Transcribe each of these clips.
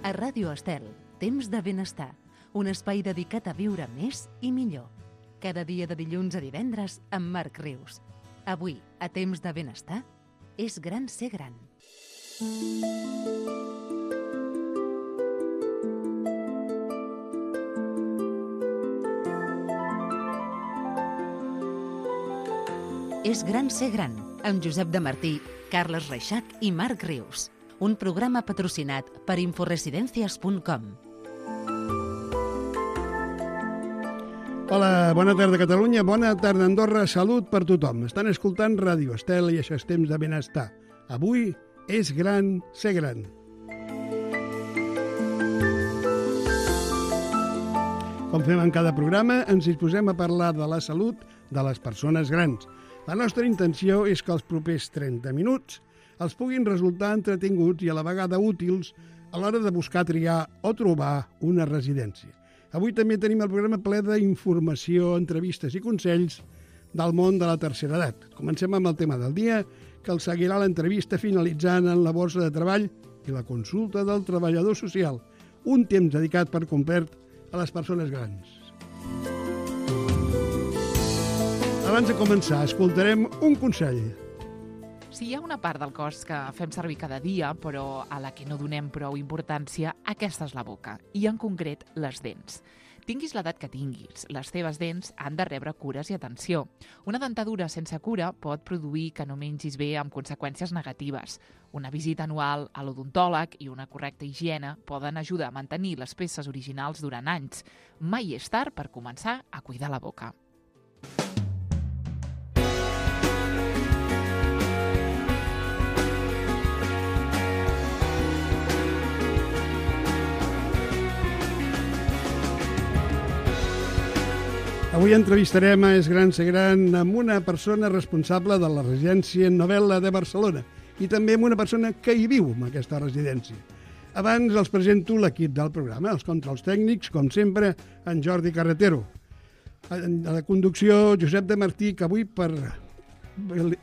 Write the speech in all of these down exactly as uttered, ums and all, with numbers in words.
A Ràdio Estel, temps de benestar, un espai dedicat a viure més i millor. Cada dia de dilluns a divendres amb Marc Rius. Avui, a temps de benestar, és gran ser gran. És gran ser gran, amb Josep de Martí, Carles Reixac i Marc Rius. Un programa patrocinat per inforesidencias punt com. Hola, bona tarda Catalunya, bona tarda Andorra, salut per tothom. Estan escoltant Ràdio Estel i això és temps de benestar. Avui és gran ser gran. Com fem en cada programa, ens disposem a parlar de la salut de les persones grans. La nostra intenció és que els propers trenta minuts els puguin resultar entretinguts i a la vegada útils a l'hora de buscar, triar o trobar una residència. Avui també tenim el programa ple d'informació, entrevistes i consells del món de la tercera edat. Comencem amb el tema del dia, que el seguirà l'entrevista finalitzant en la borsa de treball i la consulta del treballador social, un temps dedicat per complet a les persones grans. Abans de començar, escoltarem un consell. Si hi ha una part del cos que fem servir cada dia, però a la que no donem prou importància, aquesta és la boca, i en concret les dents. Tinguis l'edat que tinguis, les teves dents han de rebre cures i atenció. Una dentadura sense cura pot produir que no mengis bé amb conseqüències negatives. Una visita anual a l'odontòleg i una correcta higiene poden ajudar a mantenir les peces originals durant anys. Mai és tard per començar a cuidar la boca. Avui entrevistarem a És gran ser gran amb una persona responsable de la residència Novel·la de Barcelona i també amb una persona que hi viu en aquesta residència. Abans els presento l'equip del programa, els controls tècnics, com sempre, en Jordi Carretero. A la conducció, Josep de Martí, que avui per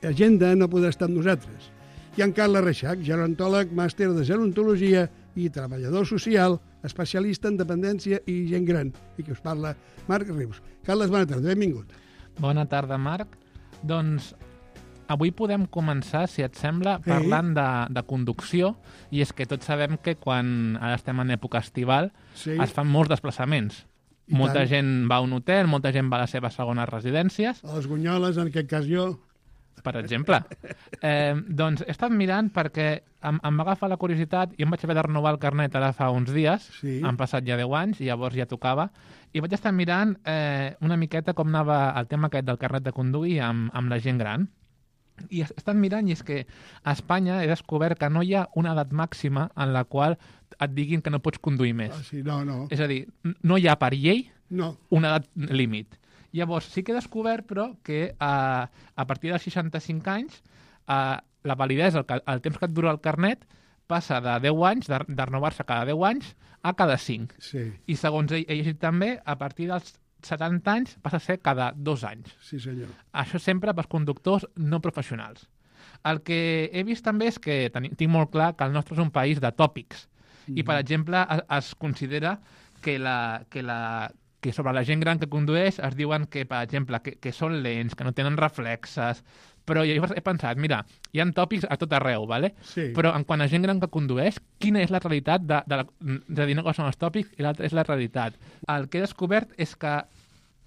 agenda no podrà estar amb nosaltres. I en Carles Reixac, gerontòleg, màster de gerontologia i treballador social, especialista en dependència i gent gran, i que us parla Marc Rius. Carles, bona tarda, benvingut. Bona tarda, Marc. Doncs avui podem començar, si et sembla, parlant de, de conducció, i és que tots sabem que quan ara estem en època estival sí. es fan molts desplaçaments. I molta tant. Gent va a un hotel, molta gent va a les seves segones residències. A les Gunyoles, en aquest cas jo. Per exemple. Eh, doncs he estat mirant perquè em, em va agafar la curiositat i em vaig haver de renovar el carnet ara fa uns dies, sí. Han passat ja deu anys i llavors ja tocava, i vaig estar mirant eh, una miqueta com anava el tema aquest del carnet de conduir amb, amb la gent gran. I he estat mirant i és que a Espanya he descobert que no hi ha una edat màxima en la qual et diguin que no pots conduir més. Ah, sí, no, no. És a dir, no hi ha per llei no. una edat límit. Llavors, sí que he descobert, però, que eh, a partir dels seixanta-cinc anys eh, la validesa, el, el temps que et dura el carnet, passa de deu anys, de, de renovar-se cada deu anys, a cada cinc. Sí. I segons he, he llegit també, a partir dels setanta anys passa a ser cada dos anys. Sí, senyor. Això sempre pels conductors no professionals. El que he vist també és que ten, tinc molt clar que el nostre és un país de tòpics. Mm-hmm. I, per exemple, es, es considera que la... Que la que sobre la gent gran que condueix es diuen que, per exemple, que, que són lents, que no tenen reflexes, però jo he pensat, mira, hi ha tòpics a tot arreu, ¿vale? Sí. Però en quant a gent gran que condueix, quina és la realitat de, de la... És a dir, una cosa són els tòpics i l'altra és la realitat. El que he descobert és que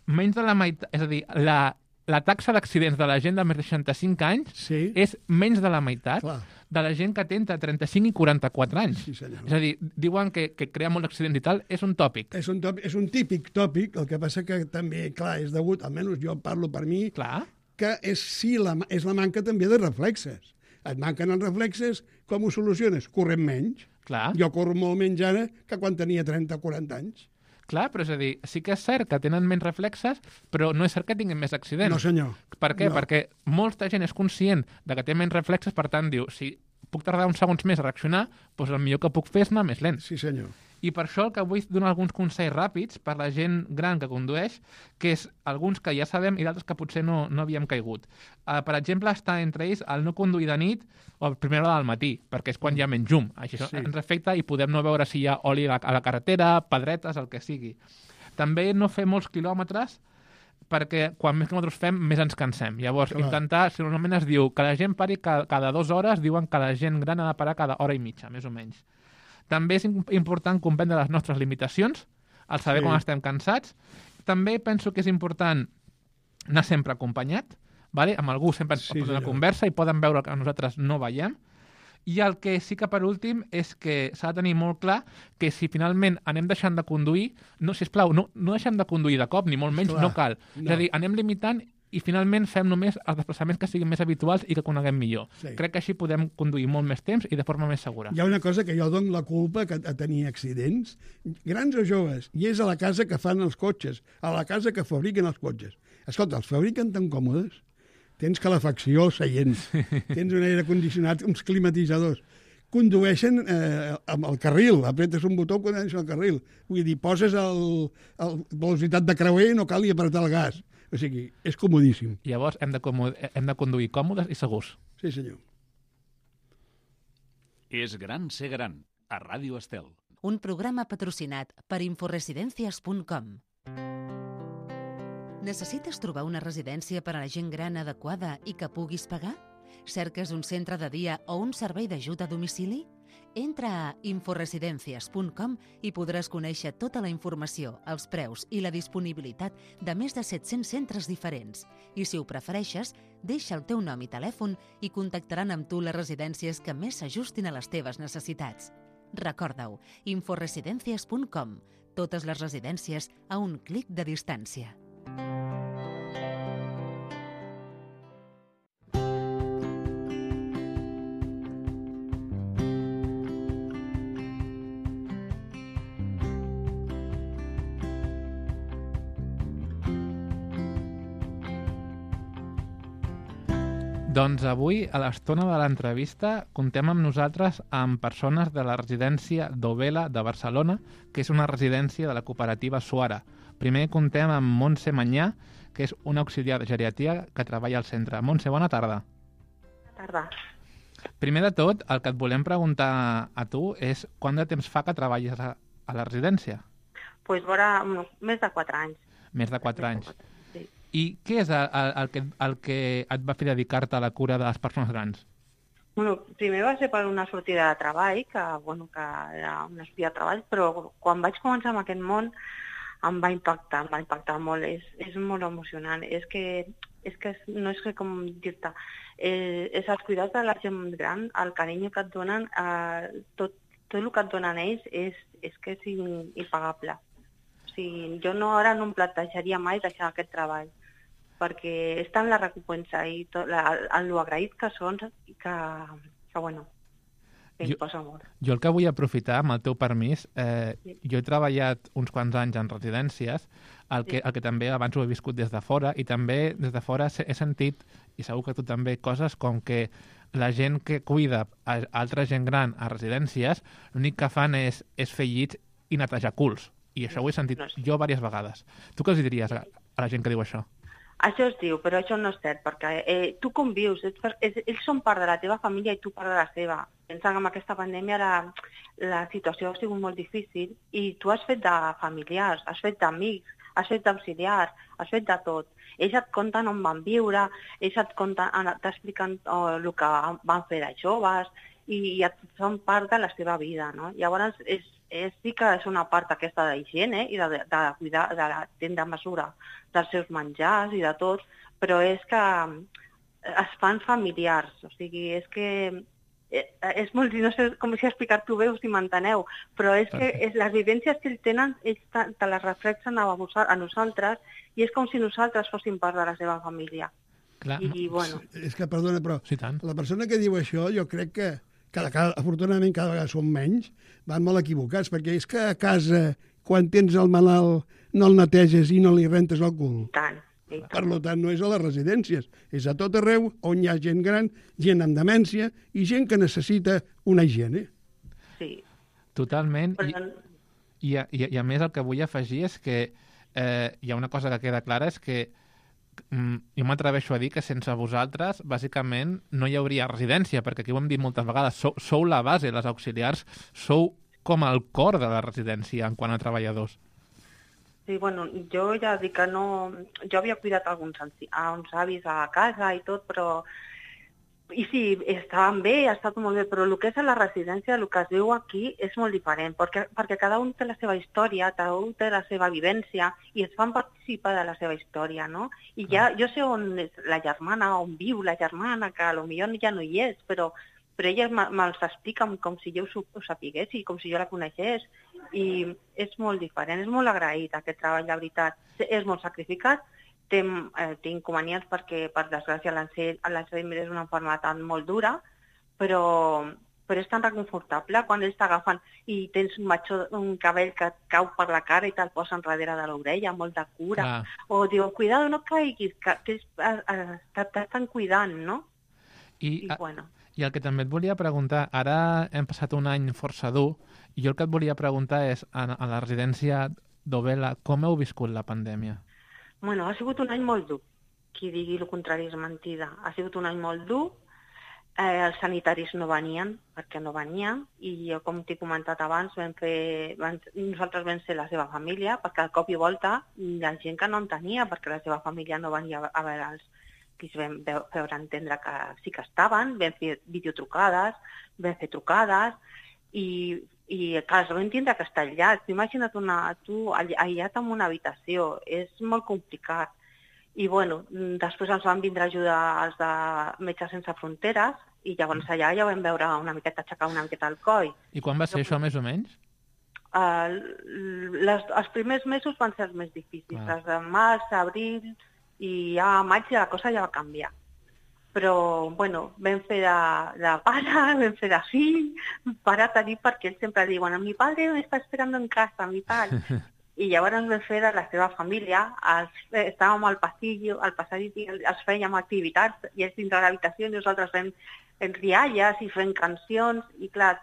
menys de la meitat... És a dir, la, la taxa d'accidents de la gent de més de seixanta-cinc anys sí. és menys de la meitat Clar. de la gent que té entre trenta-cinc i quaranta-quatre anys. Sí, senyor. És a dir, diuen que, que crea molts accidents i tal, és un tòpic. És un, tòpic, és un típic tòpic, el que passa que també, clar, és degut, almenys jo parlo per mi, clar. que és, sí, la, és la manca també de reflexes. Et manquen els reflexes, com ho soluciones? Corrent menys. Clar. Jo corro molt menys ara que quan tenia trenta o quaranta anys. Clar, però és a dir, sí que és cert que tenen menys reflexes, però no és cert que tinguin més accidents. No, senyor. Per què? No. Perquè molta gent és conscient de que té menys reflexes, per tant diu, si puc tardar uns segons més a reaccionar, doncs el millor que puc fer és anar més lent. Sí, senyor. I per això el que vull donar alguns consells ràpids per la gent gran que condueix, que és alguns que ja sabem i d'altres que potser no, no havíem caigut. Uh, per exemple, està entre ells el no conduir de nit o a primera hora del matí, perquè és quan hi ha menys llum. Això sí. ens afecta i podem no veure si hi ha oli a la, a la carretera, pedretes, el que sigui. També no fer molts quilòmetres, perquè quan més quilòmetres fem, més ens cansem. Llavors, Clar. intentar, si normalment es diu que la gent pari cada, cada dues hores, diuen que la gent gran ha de parar cada hora i mitja, més o menys. També és important comprendre les nostres limitacions, el saber sí. quan estem cansats. També penso que és important anar sempre acompanyat, vale? Amb algú sempre ens sí, pot donar sí, conversa i poden veure que nosaltres no veiem. I el que sí que per últim és que s'ha de tenir molt clar que si finalment anem deixant de conduir, no, sisplau, no, no deixem de conduir de cop, ni molt menys, clar, no cal. No. És a dir, anem limitant i finalment fem només els desplaçaments que siguin més habituals i que coneguem millor. Sí. Crec que així podem conduir molt més temps i de forma més segura. Hi ha una cosa que jo dono la culpa que a tenir accidents, grans o joves, i és a la casa que fan els cotxes, a la casa que fabriquen els cotxes. Escolta, els fabriquen tan còmodes, tens calefacció als seients, tens un aire condicionat, uns climatitzadors, condueixen eh, amb el carril, apretes un botó quan entres al carril. Vull dir, poses el, el velocitat de creuer i no cal ni apretar el gas. O sigui, és comodíssim. Llavors hem de, hem de conduir còmodes i segurs. Sí, senyor. És gran ser gran, a Ràdio Estel. Un programa patrocinat per inforesidencias punt com. Necessites trobar una residència per a la gent gran adequada i que puguis pagar? Cerques un centre de dia o un servei d'ajuda a domicili? Entra a inforesidencias punt com i podràs conèixer tota la informació, els preus i la disponibilitat de més de set-cents centres diferents. I si ho prefereixes, deixa el teu nom i telèfon i contactaran amb tu les residències que més s'ajustin a les teves necessitats. Recorda-ho, inforesidencias punt com. Totes les residències a un clic de distància. Doncs avui, a l'estona de l'entrevista, contem amb nosaltres amb persones de la residència d'Ovela de Barcelona, que és una residència de la cooperativa Suara. Primer contem amb Montse Manyà, que és una auxiliar de geriatria que treballa al centre. Montse, bona tarda. Bona tarda. Primer de tot, el que et volem preguntar a tu és quant de temps fa que treballes a, a la residència? Doncs pues, vora més de quatre anys. Més de quatre anys. I què és el, el, el, que, el que et va fer dedicar-te a la cura de les persones grans? Bueno, primer va ser per una sortida de treball, que, bueno, que era una sortida de treball, però quan vaig començar amb aquest món em va impactar, em va impactar molt. És, és molt emocionant. És que, és que no és que com dir-te, eh, és els cuidats de la gent gran, el carinyo que et donen, eh, tot, tot el que et donen ells és, és que és impagable. O sigui, jo no, ara no em plantejaria mai deixar aquest treball, perquè és tant la recompensa i tot, la, el, lo agraït que són i que, que bueno, que jo, posa molt. Jo el que vull aprofitar, amb el teu permís, eh, sí. jo he treballat uns quants anys en residències, el que, sí. el que també abans ho he viscut des de fora, i també des de fora he sentit, i segur que tu també, coses com que la gent que cuida a altra gent gran a residències, l'únic que fan és, és fer llits i netejar culs. I això ho he sentit no, no, jo diverses vegades. Tu què els diries a, a la gent que diu això? Això es diu, però això no és cert, perquè eh, tu convius, ets, és, ells són part de la teva família i tu part de la seva. Pensa que amb aquesta pandèmia la, la situació ha sigut molt difícil i tu has fet de familiars, has fet d'amics, has fet d'auxiliars, has fet de tot. Ells et conten on van viure, ells et conten, t'expliquen oh, el que van fer de joves i, i et, són part de la seva vida, no? Llavors, és, és, sí que és una part aquesta d'higiene i de, de, de cuidar, de prendre mesura dels seus menjars i de tot, però és que es fan familiars, o sigui, és que és molt, no sé com si explicar-t'ho bé o si m'enteneu, però és que és, les vivències que ells tenen, ells te, te les reflexen a, a nosaltres i és com si nosaltres fóssim part de la seva família. Clar. I, bueno. És que, perdona, però sí, tant. La persona que diu això, jo crec que cada, cada, afortunadament cada vegada són menys, van molt equivocats, perquè és que a casa, quan tens el malalt, no el neteges i no li rentes el cul. Tant. Per tant, no és a les residències, és a tot arreu on hi ha gent gran, gent amb demència i gent que necessita una higiene. Sí. Totalment. Però, I a, i, i a més el que vull afegir és que eh, hi ha una cosa que queda clara, és que mm, jo m'atreveixo a dir que sense vosaltres, bàsicament, no hi hauria residència, perquè aquí ho hem dit moltes vegades, sou, sou la base, les auxiliars, sou com el cor de la residència en quant a treballadors. Sí, bueno, jo ja dic que no... Jo havia cuidat alguns anci... a uns avis a casa i tot, però... I sí, estaven bé, ha estat molt bé, però el que és a la residència, el que es viu aquí és molt diferent, perquè, perquè cada un té la seva història, cada un té la seva vivència i es fan participar de la seva història, no? I ja, jo sé on és la germana, on viu la germana, que potser ja no hi és, però, però ella me'ls explica com si jo ho sapigués i com si jo la coneixés, i és molt diferent, és molt agraït aquest treball, de veritat. És molt sacrificat, té, eh, té inconvenients perquè, per desgràcia, l'Alzheimer és una malaltia molt dura, però, però és tan reconfortable quan ells t'agafen i tens un, matxó, un cabell que et cau per la cara i te'l posen darrere de l'orella, molt de cura. Ah. O diu, cuidado, no caiguis, que, que t'estan cuidant, no? I, I, bueno. I el que també et volia preguntar, ara hem passat un any força dur, i jo el que et volia preguntar és, a, a la residència d'Ovella, com heu viscut la pandèmia? Bueno, ha sigut un any molt dur. Qui digui el contrari és mentida. Ha sigut un any molt dur. Eh, els sanitaris no venien, perquè no venien, i jo, com t'he comentat abans, vam fer, vam, nosaltres vam ser la seva família, perquè al cop i volta la gent que no en tenia, perquè la seva família no venia a veure'ls, que es vam veure entendre que sí que estaven, vam fer videotrucades, vam fer trucades, i, i clar, vam tindre que estar aïllats. Imagina't una, tu aïllat en una habitació, és molt complicat. I bueno, després ens van vindre a ajudar els de Metges Sense Fronteres, i llavors allà ja vam veure una miqueta, aixecar una miqueta el coll. I quan va ser això, més o menys? Uh, les, els primers mesos van ser els més difícils, ah. els de març, abril, i ja a maig la cosa ja va canviar. Però, bueno, vam fer de, de pare, vam fer de fill, pare a tenir perquè ells sempre diuen, mi padre me està esperando en casa, mi tal. I llavors vam fer de la seva família, els, estàvem al passillo, al passadís, els fèiem activitats, i ells dintre de l'habitació, i nosaltres fem rialles i fem cancions, i clar,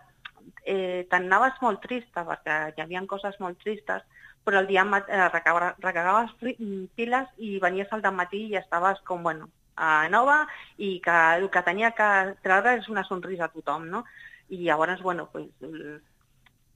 eh, t'anaves molt trista, perquè hi havia coses molt tristes, però el dia eh, recagaves piles i venies al dematí i estaves com, bueno, a nova, i que el que tenia que treure és una sonrisa a tothom, no? I llavors, bueno, pues,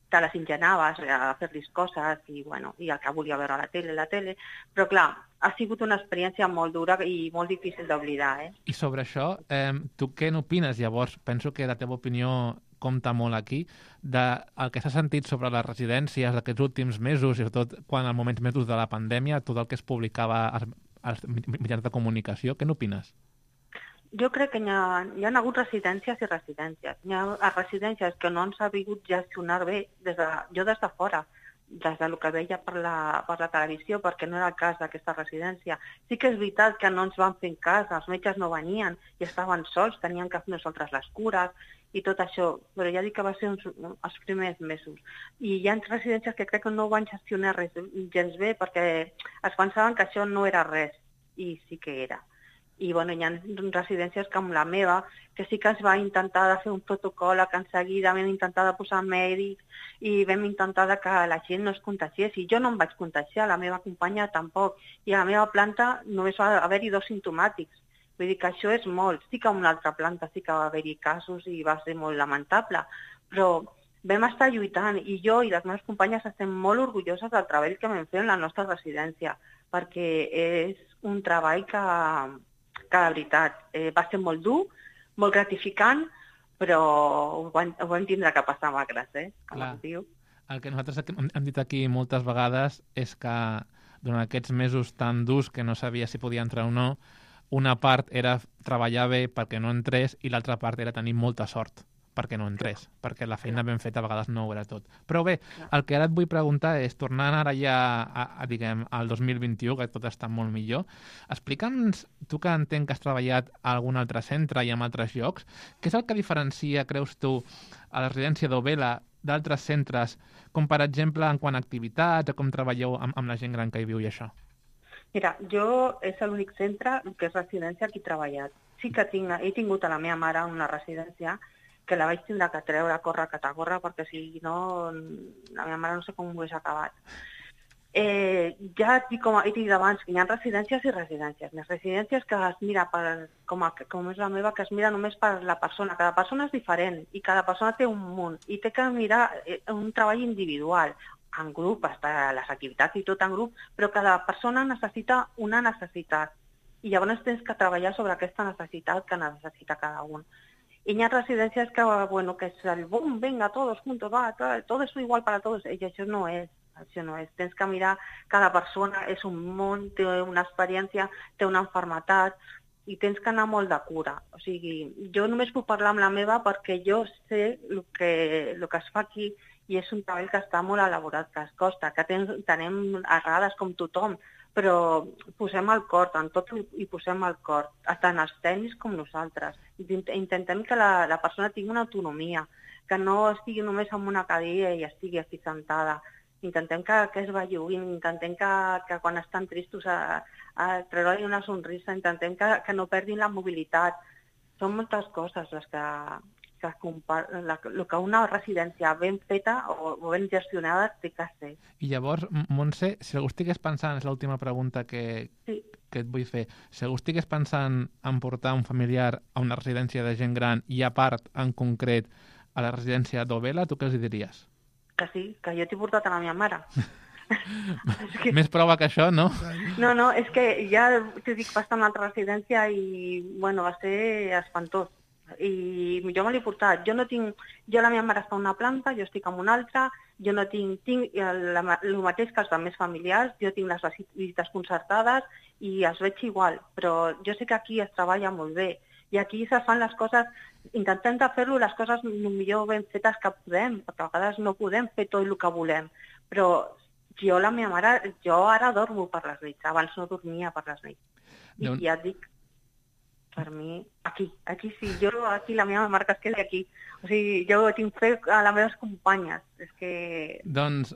te les ingenaves a fer-los coses i, bueno, i el que volia veure a la tele, la tele, però clar, ha sigut una experiència molt dura i molt difícil d'oblidar, eh? I sobre això, eh, tu què n'opines? Llavors, penso que la teva opinió compta molt aquí, del que s'ha sentit sobre les residències d'aquests últims mesos, i sobretot quan als moments més durs de la pandèmia, tot el que es publicava als, als mitjans de comunicació, què n'opines? Jo crec que hi ha, hi ha hagut residències i residències. Hi ha residències que no ens ha vingut gestionar bé, des de, jo des de fora, des del que veia per la, per la televisió, perquè no era el cas d'aquesta residència. Sí que és veritat que no ens van fer cas, els metges no venien i estaven sols, tenien que fer nosaltres les cures i tot això, però ja dic que va ser uns, els primers mesos. I hi ha residències que crec que no van gestionar res gens bé perquè es pensaven que això no era res, i sí que era. I bueno, hi ha residències com la meva, que sí que es va intentar de fer un protocol, que en seguida vam intentar de posar mèdics i vam intentar que la gent no es contagiés. I jo no em vaig contagiar, la meva companya tampoc. I a la meva planta només va haver-hi dos simptomàtics. Vull dir que això és molt. Sí que a una altra planta sí que va haver-hi casos i va ser molt lamentable, però vam estar lluitant i jo i les meves companyes estem molt orgulloses del treball que vam fer en la nostra residència, perquè és un treball que... que de veritat eh, va ser molt dur, molt gratificant, però ho vam, ho vam tindre que passar magres, eh? Com es diu. El que nosaltres hem dit aquí moltes vegades és que durant aquests mesos tan durs que no sabia si podia entrar o no, una part era treballar bé perquè no entrés i l'altra part era tenir molta sort perquè no entrés, perquè la feina ben feta a vegades no ho era tot. Però bé, el que ara et vull preguntar és, tornant ara ja a, a, diguem, al dos mil vint-i-u, que tot està molt millor, explica'ns, tu que entenc que has treballat a algun altre centre i en altres llocs, què és el que diferencia, creus tu, a la residència d'Ovella d'altres centres, com per exemple en quant a activitats, o com treballeu amb, amb la gent gran que hi viu i això? Mira, jo és l'únic centre que és residència que he treballat. Sí que tinc, he tingut a la meva mare una residència que la vaig tindre que treure a córrer, que t'acorre, perquè si no, la meva mare no sé com ho hagués acabat. Eh, ja et dic, com he dit abans, que hi ha residències i residències. Les residències que es mira, per, com, a, com és la meva, que es mira només per la persona. Cada persona és diferent i cada persona té un munt i té que mirar un treball individual, en grup, està les activitats i tot en grup, però cada persona necessita una necessitat i llavors tens que treballar sobre aquesta necessitat que necessita cada un. I hi ha residències que, bueno, que és el boom, venga, todos juntos, va, todo es igual para todos, i això no és. Això no és. Tens que mirar, cada persona és un món, té una experiència, té una malaltia i tens que anar molt de cura. O sigui, jo només puc parlar amb la meva perquè jo sé el que, el que es fa aquí i és un treball que està molt elaborat, que es costa, que ten, tenem errades com tothom, però posem el cor, en tot hi posem el cor, tant els tècnics com nosaltres. Intentem que la, la persona tingui una autonomia, que no estigui només en una cadira i estigui aquí sentada. Intentem que, que es belluguin, intentem que, que quan estan tristos a, a treure-li una sonrisa, intentem que, que no perdin la mobilitat. Són moltes coses les que, que, la, el que una residència ben feta o, o ben gestionada té que ser. I llavors, Montse, si algú estigués pensant, és l'última pregunta que, sí. que et vull fer, si algú estigués pensant en portar un familiar a una residència de gent gran i a part, en concret, a la residència d'Ovella, tu què els diries? Que sí, que jo t'he portat a la meva mare. que... Més prova que això, no? No, no, és que ja t'ho dic, va estar en una altra residència i, bueno, va ser espantós. I jo me l'he portat. Jo no tinc... Jo la meva mare està en una planta, jo estic en una altra, jo no tinc... Tinc el, el mateix que els altres familiars, jo tinc les visites concertades i els veig igual, però jo sé que aquí es treballa molt bé. I aquí se fan les coses, intentem de fer-lo les coses el millor ben fetes que podem, perquè a vegades no podem fer tot el que volem, però jo, la meva mare, jo ara dormo per les nits, abans no dormia per les nits. I no. Ja et dic, per mi, aquí, aquí sí, jo aquí la meva marca es queda aquí. O sigui, jo tinc fe a les meves companyes. És que... Doncs,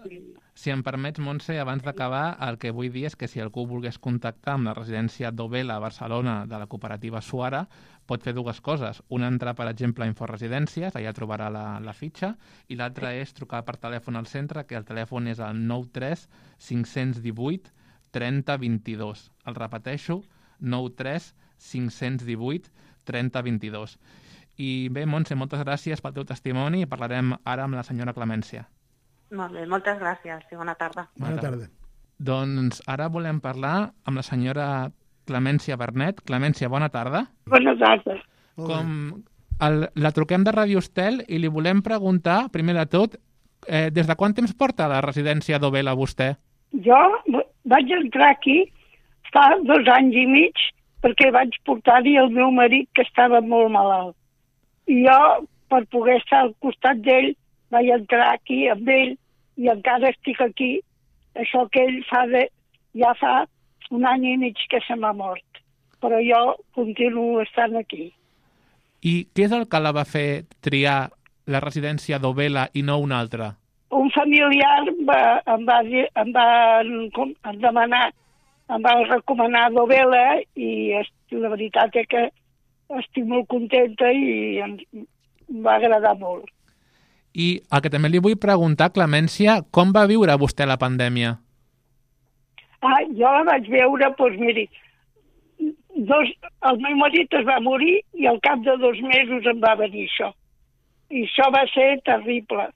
si em permets, Montse, abans d'acabar, el que vull dir és que si algú volgués contactar amb la residència d'Ovella a Barcelona de la cooperativa Suara, pot fer dues coses. Una, entrar, per exemple, a Inforesidències, allà trobarà la, la fitxa, i l'altra és trucar per telèfon al centre, que el telèfon és el nou tres cinc un vuit trenta vint-i-dos. El repeteixo, nou tres cinc un vuit trenta vint-i-dos. I bé, Montse, moltes gràcies pel teu testimoni i parlarem ara amb la senyora Clemència. Molt bé, moltes gràcies i bona tarda. Bona tarda. Doncs ara volem parlar amb la senyora Clemència Bernet. Clemència, bona tarda. Bona tarda. Com el, la truquem de Ràdio Estel i li volem preguntar, primer de tot, eh, des de quant temps porta a la residència d'Ovella vostè? Jo vaig entrar aquí fa dos anys i mig perquè vaig portar-hi el meu marit que estava molt malalt. I jo, per poder estar al costat d'ell, vaig entrar aquí amb ell i encara estic aquí. Això que ell fa de, ja fa un any i mig que se m'ha mort, però jo continuo estant aquí. I què és el que la va fer triar la residència d'Ovella i no una altra? Un familiar va, em va, em va com, em demanar, em va recomanar d'Ovella i la veritat és que estic molt contenta i em va agradar molt. I el que també li vull preguntar, Clemència, com va viure vostè la pandèmia? Ah, jo la vaig veure, doncs miri, dos, el meu marit es va morir i al cap de dos mesos em va venir això. I això va ser terrible.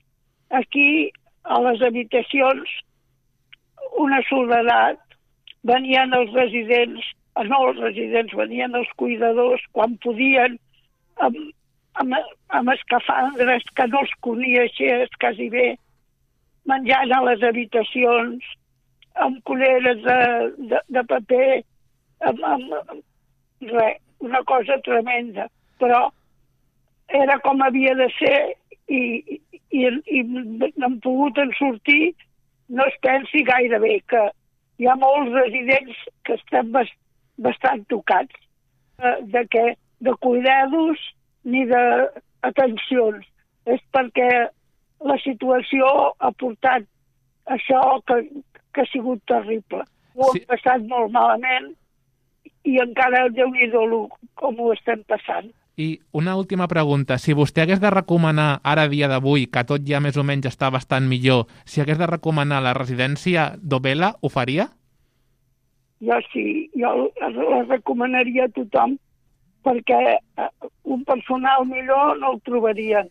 Aquí, a les habitacions, una soledat, venien els residents, no els residents, venien els cuidadors quan podien, amb, amb, amb escafandres que no els coneixies quasi bé, menjant a les habitacions, amb culeres de, de, de paper, amb, amb, amb res, una cosa tremenda. Però era com havia de ser i, i, i, i n'hem pogut en sortir, no es pensi gaire bé, que hi ha molts residents que estan bastant bastant tocats de, que, de cuidados ni d'atencions. És perquè la situació ha portat això que, que ha sigut terrible. Ho hem sí. passat molt malament i encara Déu-n'hi-do com ho estem passant. I una última pregunta. Si vostè hagués de recomanar, ara dia d'avui, que tot ja més o menys està bastant millor, si hagués de recomanar la residència d'Ovella, ho faria? Jo sí, jo la recomanaria a tothom, perquè un personal millor no el trobarien.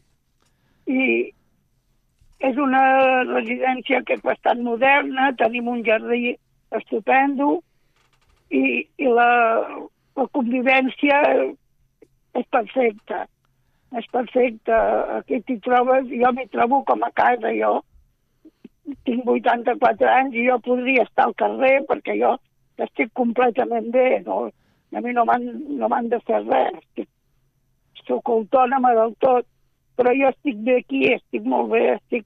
I és una residència que és bastant moderna, tenim un jardí estupendo i, i la, la convivència és perfecta. És perfecta. Aquí t'hi trobes, jo m'hi trobo com a casa. Jo tinc vuitanta-quatre anys i jo podria estar al carrer perquè jo estic completament bé. No? A mi no m'han no m'han de fer res. Estic, soc autònoma del tot. Però jo estic bé aquí, estic molt bé, estic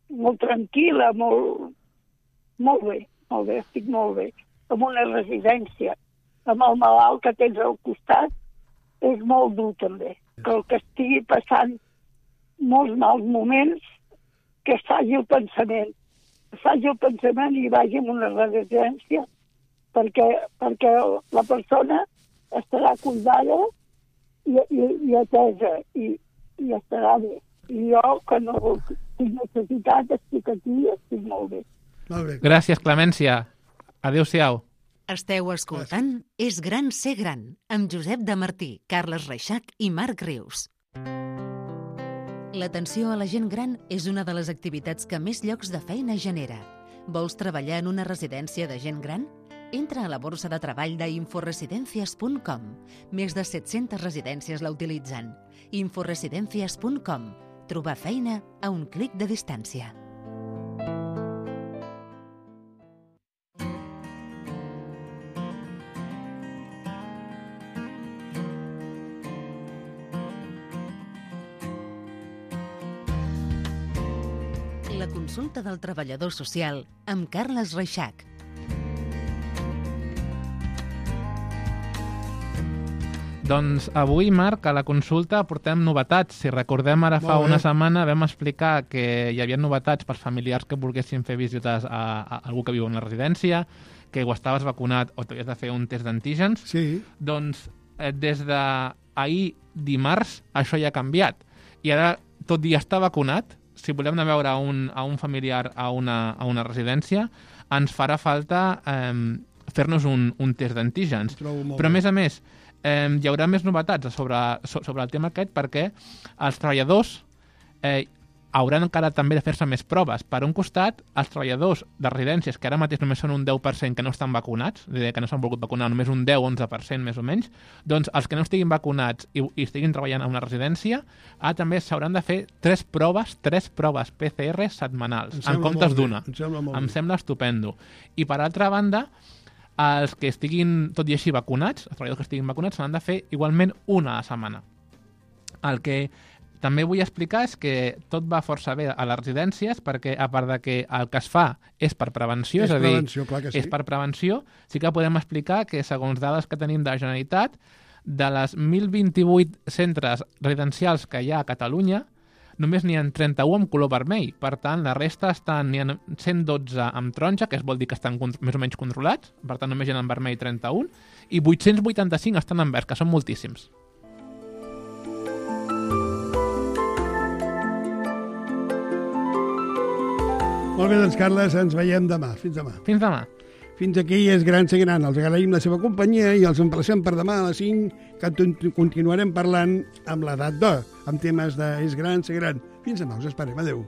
molt tranquil·la, molt, molt bé, molt bé, estic molt bé. En una residència, amb el malalt que tens al costat, és molt dur també. Que el que estigui passant molts mals moments, que es faci el pensament. Es faci el pensament i vagi a una residència perquè, perquè la persona estarà cuidada i, i, i atesa i, i estarà bé. I jo, que no tinc necessitat, estic aquí i estic molt bé. Molt bé. Gràcies, Clemència. Adéu-siau. Esteu escoltant És gran ser gran, amb Josep de Martí, Carles Reixac i Marc Rius. L'atenció a la gent gran és una de les activitats que més llocs de feina genera. Vols treballar en una residència de gent gran? Entra a la borsa de treball d'inforesidencias punt com. Més de set-centes residències la utilitzen. inforesidencias punt com. Trobar feina a un clic de distància. La consulta del treballador social amb Carles Reixac. Doncs avui, Marc, a la consulta portem novetats. Si recordem, ara fa una setmana vam explicar que hi havia novetats per familiars que volguessin fer visites a, a algú que viu en la residència, que o estaves vacunat o t'havies de fer un test d'antígens. Sí. Doncs eh, des d'ahir dimarts això ja ha canviat. I ara, tot i estar vacunat, si volem anar a veure a un, a un familiar a una, a una residència, ens farà falta eh, fer-nos un, un test d'antígens. Però, a més a més, eh, hi haurà més novetats sobre, sobre el tema aquest perquè els treballadors eh, hauran encara també de fer-se més proves. Per un costat, els treballadors de residències, que ara mateix només són un deu per cent que no estan vacunats, és a dir, que no s'han volgut vacunar, només un deu a onze per cent més o menys, doncs els que no estiguin vacunats i, i estiguin treballant a una residència, ara també s'hauran de fer tres proves, tres proves P C R setmanals, en comptes d'una. Em sembla molt bé. Em sembla estupendo. I per altra banda, els que estiguin, tot i així, vacunats, els treballadors que estiguin vacunats, s'han de fer igualment una a la setmana. El que també vull explicar és que tot va força bé a les residències perquè, a part de que el que es fa és per prevenció, és, és a dir, sí. és per prevenció, sí que podem explicar que, segons dades que tenim de la Generalitat, de les mil vint-i-vuit centres residencials que hi ha a Catalunya, només n'hi ha trenta-u amb color vermell. Per tant, la resta estan, n'hi ha cent dotze amb taronja, que es vol dir que estan més o menys controlats, per tant només hi ha en vermell trenta-un, i vuit-cents vuitanta-cinc estan en verd, que són moltíssims. Molt bé, doncs, Carles, ens veiem demà. Fins demà. Fins demà. Fins aquí és Gran Ser Gran. Els agraïm la seva companyia i els emplacem per demà a les cinc, que continuarem parlant amb l'edat d'or, amb temes de És Gran Ser Gran. Fins demà, us esperem. Adéu.